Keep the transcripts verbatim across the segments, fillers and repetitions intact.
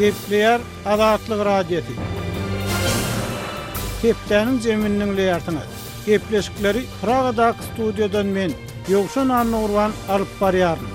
Gepleýär Azatlyk Radiosy. Hepdäniň jemini diňleýärsiňiz. Gepleşikleri Pragadaky studiýadan men Ýowşan Annagurban alyp barýaryn.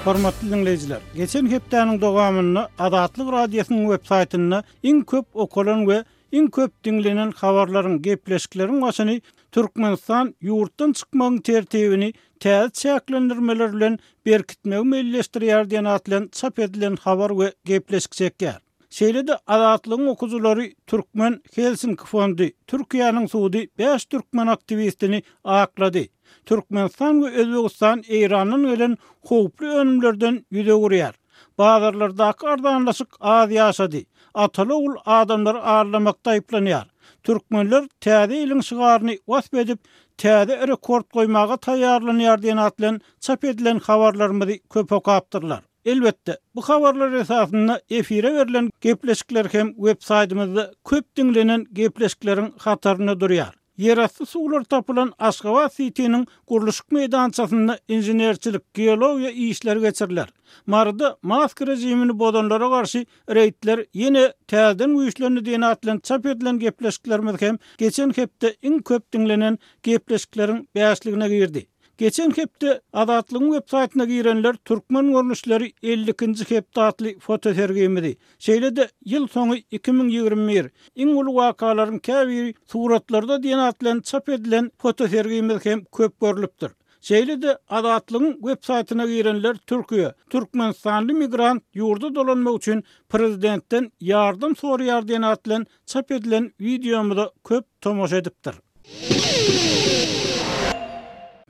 Hormatly dinleýjiler, geçen hepdäniň dowamynda Azatlyk Radiosynyň web saýtynda iň köp okalan we iň köp diňlenen habarlaryň, gepleşikleriň başyny Türkmenistan ýurtdan çykmagyň tertibini täze çäklendirmeler bilen berkitmegi meýilleşdirýär diýen atly çap edilen habar we gepleşik çekýär. Şeýle-de Azatlygyň okujylary Türkmen Helsinki fondy Türkiýäniň sudy bäş türkmen aktiwistini aklady. Türkmenistan we Özbegistan Eýrandan gelen howply önümlerden ýüz öwürýär. Bazarlardaky arzanlaşyk az ýaşady. Ataly ogul adamlary arlamakda aýyplanýar. Türkmenler täze ýylyň şygaryny wasp edip, täze rekord goýmaga taýýarlanýar diýen atly çap edilen habarlarymyzy köp okapdyrlar. Elbetde, bu habarlar esasynda efire berlen gepleşikler hem web saýtymyzda köp diňlenen gepleşikleriň hatarynda durýar. Ýerasty suwlar tapylan Aşgabat City'niň gurluşyk meýdançasynda inženerçilik, geologiýa işleri geçiriler. Maryda mask rejimini bozanlara garşy reýdler ýene täzeden güýçlendi diýen atly çap edilen gepleşiklerimiz hem geçen hepde iň köp diňlenen gepleşikleriň bäşligine girdi. Geçen hepde Azatlygyň web saýtyna girenler Türkmen görnüşleri elli ikinji hepde atly fotosergimizi, şeýle-de ýyl soňy iki müň ýigrimi bir iň uly wakalaryň käbiri suratlarda diýen atly çap edilen fotosergimiz hem köp görlüpdir. Şeýle-de Azatlygyň web saýtyna girenler Türkiýe, Türkmenistanly migrant ýurda dolanmak üçin prezidentden ýardam soraýar diýen atly çap edilen wideomyza köp tomaşa edipdir.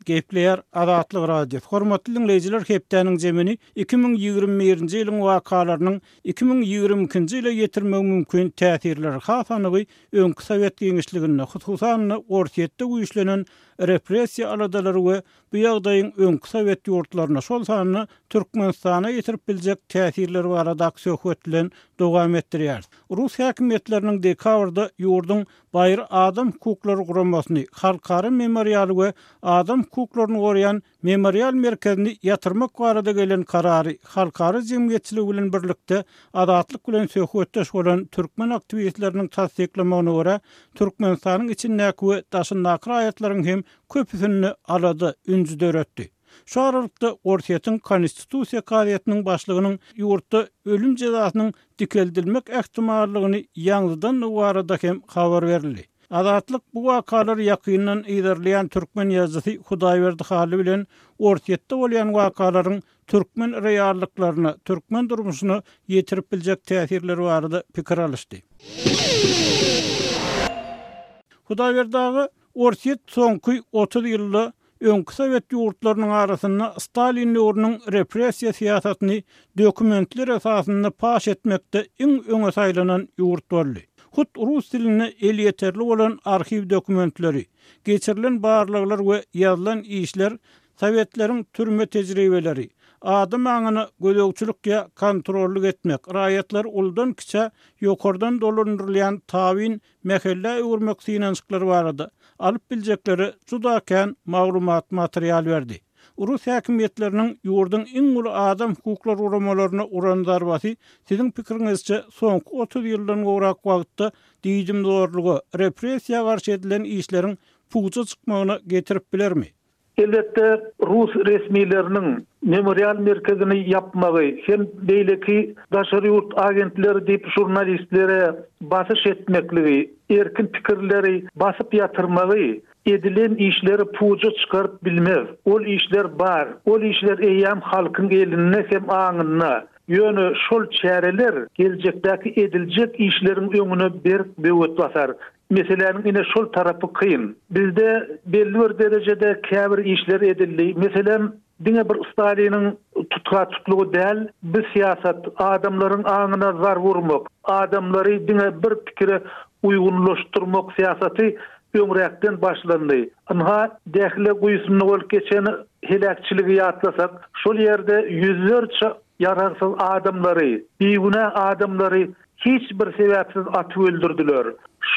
Gepleýär Azatlyk Radiosy. Hormatly dinleýjiler, hepdäniň jemini iki müň ýigrimi birinji ýylyň wakalarynyň iki müň ýigrimi ikinji ýyla ýetirmegi mümkin täsirleri, has anygy öňki Sowet giňişliginde, hususan-da Orsýetde güýçlenen repressiýa aladalary we bu ýagdaýyň öňki Sowet ýurtlaryna, şol sanda Türkmenistana ýetirip biljek täsirleri baradaky söhbet bilen dowam etdirýär. Rus häkimiýetleriniň dekabrda ýurduň Baýry Adam hukuklary guramasyny, Halkara memorialy we Adam hukuklaryny goraýan memorial merkezini ýatyrmak barada gelen karary halkara jemgyýetçiligi bilen birlikde Azatlyk bilen söhbetdeş bolan türkmen aktiwistleriniň tassyklamagyna görä, Türkmenistanyň içindäki we daşyndaky raýatlaryň hem köpüsinde alada ünji döretdi. Şu aralykda Orsýetiň Konstitusiýa kazyýetiniň başlygynyň ýurtda ölüm jezasynyň dikeldilmek ähtimallygyny ýaňzydandygy barada hem habar berildi. Azatlyk bu wakalary ýakyndan yzarlaýan türkmen ýazyjysy Hudaýberdi Hally bilen Orsýetde bolýan wakalaryň türkmen reallyklaryna, türkmen durmuşyna ýetirip biljek täsirleri barada pikir alyşdy. Hudaýberdi aga, Orsýet soňky otuz ýylda öňki Sowet ýurtlarynyň arasynda Stalin döwrüniň repressiýa syýasatyny dokumentler esasynda paş etmekde iň öňe saýlanan ýurt boldy. Hut rus dilinde elýeterli bolan arhiw dokumentleri, geçirilen barlaglar we ýazylan işler Sowetleriň türme tejribeleri, adam aňyna gözegçilik ýa kontrollyk etmek, raýatlar uldan kiçä ýokardan dolandyrylýan tabyn mähellä öwürmek synanyşyklary barada alyp biljekleri juda kän maglumat material berdi. Rus häkimiýetleriniň ýurduň iň uly adam hukuklary guramalaryna uran zarbasy siziň pikiriňizçe soňky otuz ýyldan gowrak wagtda diýdimzorluga, repressiýa garşy edilen işleriň puja çykmagyna getirip bilermi? Elbetde Rus resmileriniň memorial merkezini ýapmagy hem beýleki daşary ýurt agentleri diýip jurnalistlere basyş etmekligi, erkin pikirleri basyp ýatyrmagy edilen işleri puja çykaryp bilmez. Ol işler bar, ol işler eýýäm halkyň elinde hem aňynda. Ýöne şol çäreler geljekdäki ediljek işleriň öňüne berk böwet basar. Meseläniň ine şol tarapy kyn. Bizde belli bir derejede käbir işler edildi. Meselem, diňe bir Staliniň tutga tutlugy däl, bu syýasat adamlaryň aňyna zar vurmak, adamlary diňe bir pikire uýgunlaşdyrmak syýasaty öňräkden başlandy. Ynha Dähle guýusynda bolup geçen heläkçiligi ýatlasak, şol ýerde ýüzlerçe ýaragsyz adamlary, bigünä adamlary hiç bir sebäpsiz atyp öldürdüler.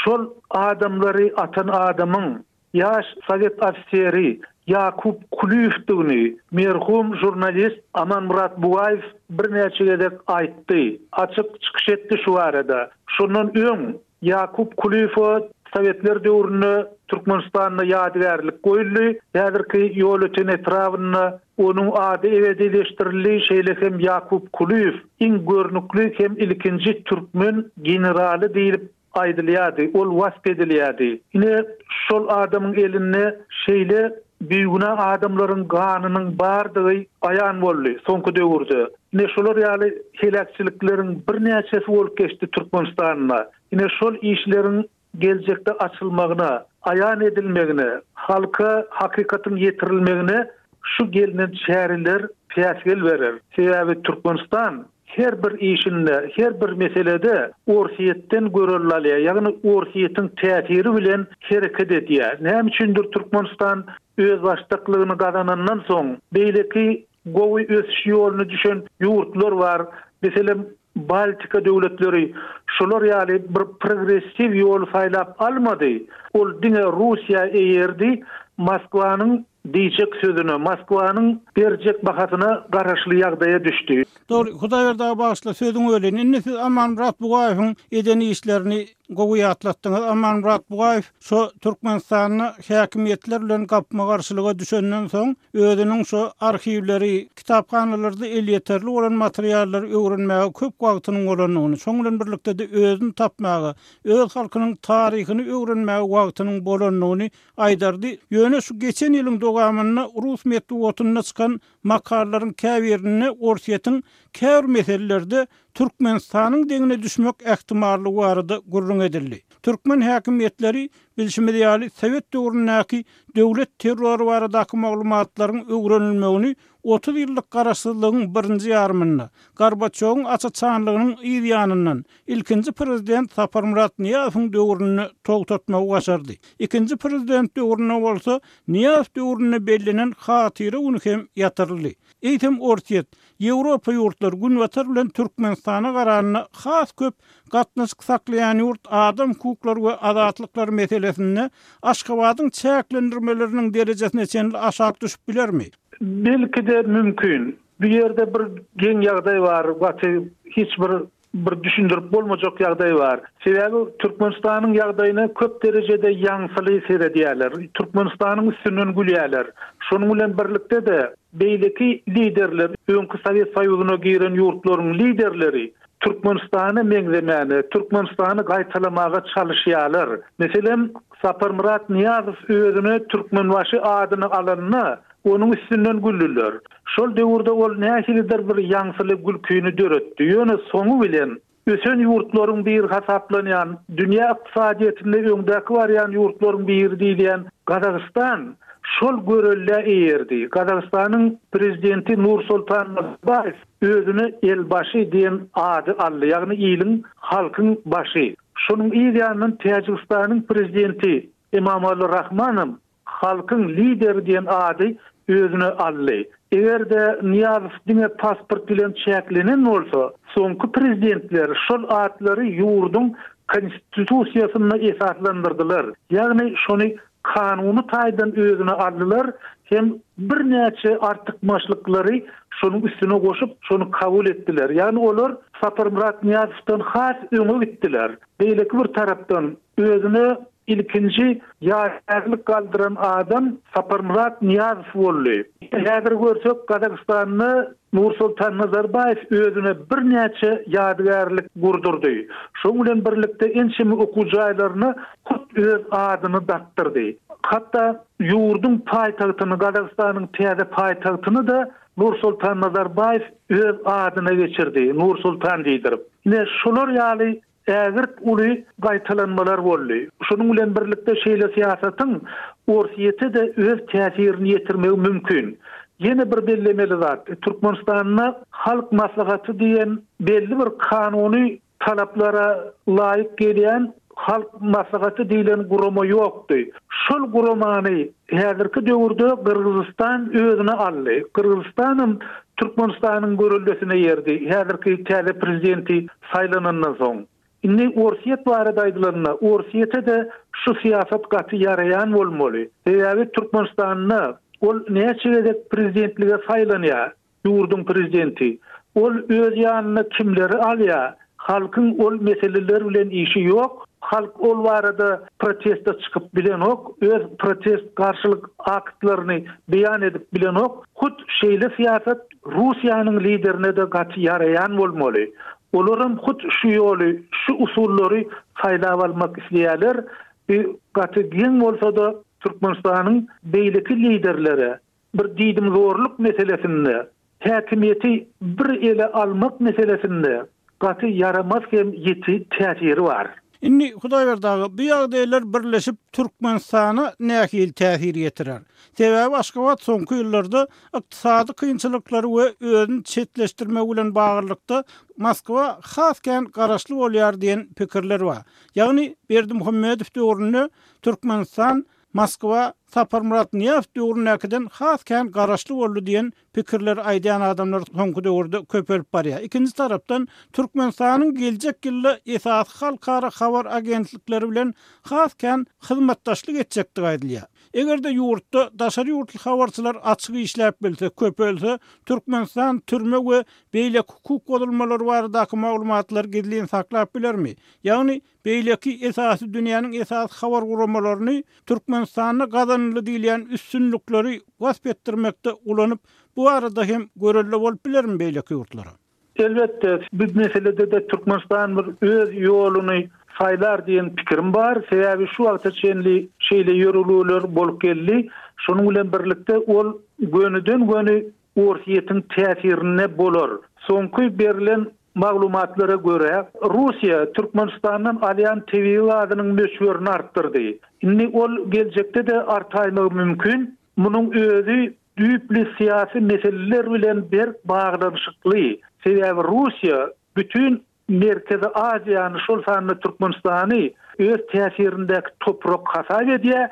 Şol adamlary atan adamyň ýaş Sowet ofiseri Ýakup Kulyýewdigini merhum žurnalist Amanmyrat Bugaýew birnäçe gezek aýtdy. Açyk çykyş etdi şu barada. Şondan öň Ýakup Kulyýewe Sowetler döwründe Türkmenistanda ýadygärlik goýuldy. Häzirki Ýolöten etrabynda onuň ady ebedileşdirildi. Şeýle hem Ýakup Kulyýew iň görnükli hem ilkinji türkmen generaly diýlip aýdylýardy, ol wasp edilýärdi. Ine şol adamyň elinde şeýle bigünä adamlaryň ganynyň bardygy aýan boldy soňky döwürde. Ine şolar ýaly heläkçilikleriň birnäçesi bolup geçdi Türkmenistanda. Ine şol işleriň geljekde açylmagyna, aýan edilmegine, halka hakykatyň ýetirilmegine şu gelinen çäreler päsgel berer. Sebäbi Türkmenistan her bir işinde, her bir meselede Orsýetden görelde alýar, ýagny Orsýetiň täsiri bilen hereket edýär. Näme üçindir Türkmenistan öz başdaklygyny gazanandan soň beýleki gowy ösüş ýoluna düşen ýurtlar bar. Meselem Baltika döwletleri şolar ýaly bir progressiw ýol saýlap almady. Ol diňe Russiýa eýerdi, Moskwanyň diýjek sözüne, Moskwanyň berjek bahasyna garaşly ýagdaýa düşdi. Dogry, Hudaýberdi aga bagyşla sözüňi böleýin. Indi siz Amanmyrat Bugaýewiň eden işlerini gowy ýatlatdyňyz. Amanmyrat Bugaýew şo Türkmenistanda häkimiýetler bilen gapma-garşylyga düşenden soň özüniň şo arhiwleri, kitaphanalarda elýeterli bolan materiallary öwrenmäge köp wagtynyň bolandygyny, şoň bilen birlikde de özüni tapmaga, öz halkynyň taryhyny öwrenmäge wagtynyň bolandygyny aýdardy. Ýöne şu geçen ýylyň dowamynda Rus metbugatynda çykan makalalaryň käbirinde Orsýetiň käbir meselelerde Türkmenistanyň deňine düşmek ähtimallygy barada gürrüň edildi. Türkmen häkimiýetleri bilşimiz ýaly Sowet döwründäki döwlet terrory baradaky maglumatlaryň öwrenilmegini otuz ýyllyk garaşsyzlygyň birinji ýarymynda Gorbaçowyň açaçanlygynyň yz ýanyndan ilkinji prezident Saparmyrat Nyýazowyň döwründe togtatmagy başardy. Ikinji prezident döwründe bolsa Nyýazow döwründe bellenen hatyra güni hem ýatyryldy. Eýsem Orsýet, Ýewropa ýurtlary Günbatar bilen Türkmenistana garanda has köp gatnaşyk saklaýan ýurt adam hukuklary we azatlyklary meselesinde Aşgabadyň çäklendirmeleriniň derejesine çenli aşak düşüp bilermi? Belki de mümkin. Bir ýerde bir geň ýagdaý bar, gaty hiç bir bir düşündirip bolmajak ýagdaý bar. Sebäbi Türkmenistanyň ýagdaýyna köp derejede ýaňsyly seredýärler. Türkmenistanyň üstünden gülýärler. Şonuň bilen birlikde de beýleki liderler, öňki Sowet Soýuzyna giren ýurtlaryň liderleri Türkmenistana meňzemäne, Türkmenistany gaýtalamaga çalyşýarlar. Meselem, Saparmyrat Nyýazow özüne Türkmenbaşy adyny alanyna onuň üstünden güldüler. Şol döwürde ol nähilidir bir ýaňsyly gülküni döretdi. Ýöne soňy bilen ösen ýurtlaryň bir hasaplanýan, dünýä ykdysadyýetinde öňdäki barýan ýurtlaryň biri diýilýän Gazagystan şol görelde eýerdi. Gazagystanyň prezidenti Nursultan Nazarbaýew özüne elbaşy diýen ady aldy, ýagny iliň halkyň başy. Şonuň yz ýanyndan Täjigistanyň prezidenti Emomali Rahmanow halkyň lideri diýen ady özüne aldy. Eger-de Nyýazow diňe pasport bilen çäklenen bolsa, soňky prezidentler şol atlary ýurduň konstitusiýasynda esaslandyrdylar. Ýagny şony kanuny taýdan özüne aldylar, hem birnäçe artykmaçlyklary şonuň üstüne goşup, şony kabul etdiler. Ýagny olar Saparmyrat Nyýazowdan has öňe gitdiler. Beýleki bir tarapdan özüne ilkinji ýadygärlik galdyran adam Saparmyrat Nyýazow boldy. Häzir görsek Gazagystanda Nursultan Nazarbaýew özüne birnäçe ýadygärlik gurdurdy. Şonuň bilen birlikde ençeme okuw jaýlaryna hut öz adyny dakdyrdy. Hatda ýurduň paýtagtyny, Gazagystanyň täze paýtagtyny da Nursultan Nazarbaýew öz adyna geçirdi, Nursultan diýdirip. Ine şolar ýaly ägirt uly gaýtalanmalar boldy. Şonuň bilen birlikde şeýle syýasatyň Orsýete de öz täsirini ýetirmegi mümkin. Ýene bir bellemeli zat, Türkmenistanda Halk Maslahaty diýen belli bir kanuny talaplara laýyk gelýän Halk Maslahaty diýlen gurama ýokdy. Şol guramany häzirki döwürde Gyrgyzystan özüne aldy. Gyrgyzystanam Türkmenistanyň görüldesine ýerdi. Häzirki täze prezidenti saýlanandan soň. Indi Orsýet barada aýdylanda, Orsýete de şu syýasat gaty ýaraýan bolmaly. Sebäbi Türkmenistanda Ol näçe gezek prezidentlige saýlanýar, ýurduň prezidenti. Ol öz ýanyna kimleri alýar? Halkyň ol meseleler bilen işi ýok. Halk ol barada proteste çykyp bilenok, öz protest garşylyk aktlaryny beýan edip bilenok. Hut şeýle syýasat Russiýanyň liderine-de gaty ýaraýan bolmaly. Olaram hut şu ýoly, şu usullary saýlap almak isleýärler. Bu gaty geň bolsa-da Türkmenistanyň beýleki liderlere bir diýdimzorluk meselesinde, häkimiýeti bir ele almak meselesinde gaty ýaramaz hem ýiti täsiri bar. Indi Hudaýberdi aga, bu ýagdaýlar birleşip Türkmenistana nähili täsir ýetirer? Sebäbi Aşgabat soňky ýyllarda ykdysady kynçylyklary we özüni çetleşdirmek bilen baglylykda Moskwa has kän garaşly bolýar diýen pikirler bar. Ýagny Berdimuhamedow döwründe Türkmenistan Moskwa Saparmyrat Nyýazow döwründäkiden has kän garaşly boldy diýen pikirleri aýdýan adamlar soňky döwürde köpelip barýar. Ikinji tarapdan Türkmenistanyň geljek ýylda esasy halkara habar agentlikleri bilen has kän hyzmatdaşlyk etjekdigi aýdylýar. Eger-de ýurtda daşary ýurtly habarçylar açyk işläp bilse, köpelse, Türkmenistan türme we beýleki hukuk bozulmalary baradaky maglumatlary gizlin saklap bilermi? Ýagny beýleki esasy dünýäniň esasy habar guramalaryny Türkmenistanda gazanyldy diýilýän üstünlikleri wasp etdirmekde ulanyp, bu arada hem görelde bolup bilermi beýleki ýurtlara? Elbetde, bu meselede-de Türkmenistan bir öz ýoluny saýlar diýen pikirim bar. Sebäbi şu wagta çenli şeýle ýörelgeler bolup geldi. Şonuň bilen birlikde ol gönüden-göni Orsýetiň täsirinde bolar. Soňky berlen maglumatlara görä, Russiýa Türkmenistandan alýan tebigy gazynyň möçberini artdyrdy. Indi ol geljekde-de artaýmagy mümkin. Munuň özi düýpli syýasy meseleler bilen berk baglanyşykly. Sebäbi Russiýa bütün Merkezi Aziýany, şol sanda Türkmenistany öz täsirindäki toprak hasap edýär.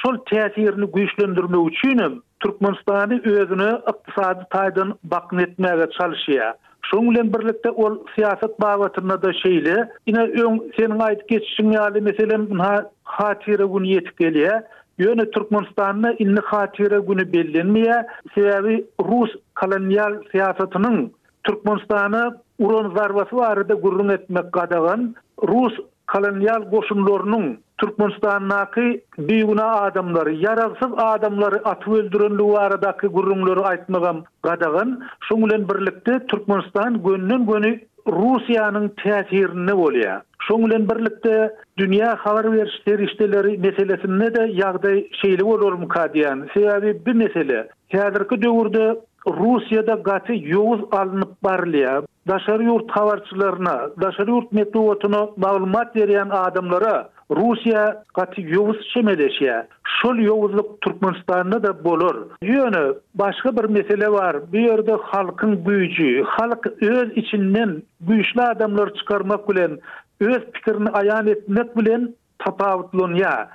Şol täsirini güýçlendirmek üçin hem Türkmenistany özüne ykdysady taýdan bakyn etmäge çalyşýar. Şonuň bilen birlikde ol syýasat babatynda-da şeýle. Ine öň seniň aýdyp geçişiň ýaly, meselem, ynha Hatyra güni ýetip gelýär. Ýöne Türkmenistanda indi Hatyra güni bellenmeýär. Sebäbi rus kolonial syýasatynyň Türkmenistana uran zarbasy barada gürrüň etmek gadagan. Rus kolonial goşunlarynyň Türkmenistandaky bigünä adamlary, ýaragsyz adamlary atyp öldürenligi baradaky gürrüňleri aýtmagam gadagan. Şonuň bilen birlikde Türkmenistan gönden-göni Russiýanyň täsirinde bolýar. Şonuň bilen birlikde dünýä habar beriş serişdeleri meselesinde-de ýagdaý şeýle bolarmyka diýýän. Sebäbi bu mesele häzirki döwürde Russiýada gaty ýowuz alnyp barylýar. Daşary ýurt habarçylaryna, daşary ýurt metbugatyna maglumat berýän adamlara Russiýa gaty ýowuz çemeleşýär. Şol ýowuzlyk Türkmenistanda-da bolar. Ýöne başga bir mesele bar. Bu ýerde halkyň güýji, halk öz içinden güýçli adamlary çykarmak bilen, öz pikirini aýan etmek bilen tapawutlanýar.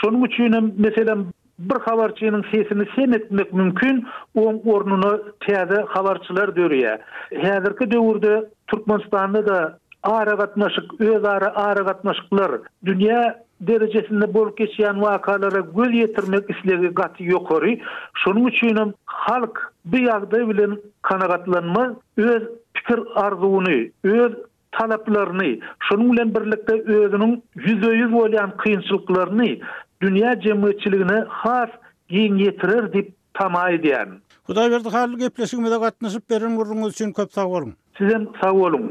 Şonuň üçin hem meselem bir habarçynyň sesini sem etmek mümkin, oň ornuna täze habarçylar dörýär. Häzirki döwürde Türkmenistanda-da aragatnaşyk, özara aragatnaşyklar, dünýä derejesinde bolup geçýän wakalara göz ýetirmek islegi gaty ýokary. Şonuň üçin hem halk bu ýagdaý bilen kanagatlanmaz, öz pikir arzuwyny, öz talaplaryny, şonuň bilen birlikde özüniň ýüzbe-ýüz bolýan kynçylyklaryny dünýä jemgyýetçiligine has giň ýetirer diýip tama edýän. Hudaýberdi Hally gepleşigimize gatnaşyp beren gürrüňiňiz üçin köp sag boluň. Sizem sag boluň.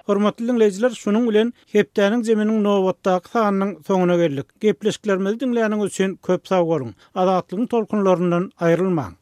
Hormatly diňleýjiler, şunuň bilen hepdäniň zeminiň nobatdaky sanynyň soňuna geldik. Gepleşiklerimizi diňläniňiz üçin köp sag boluň. Azatlygyň tolkunlaryndan aýrylmaň.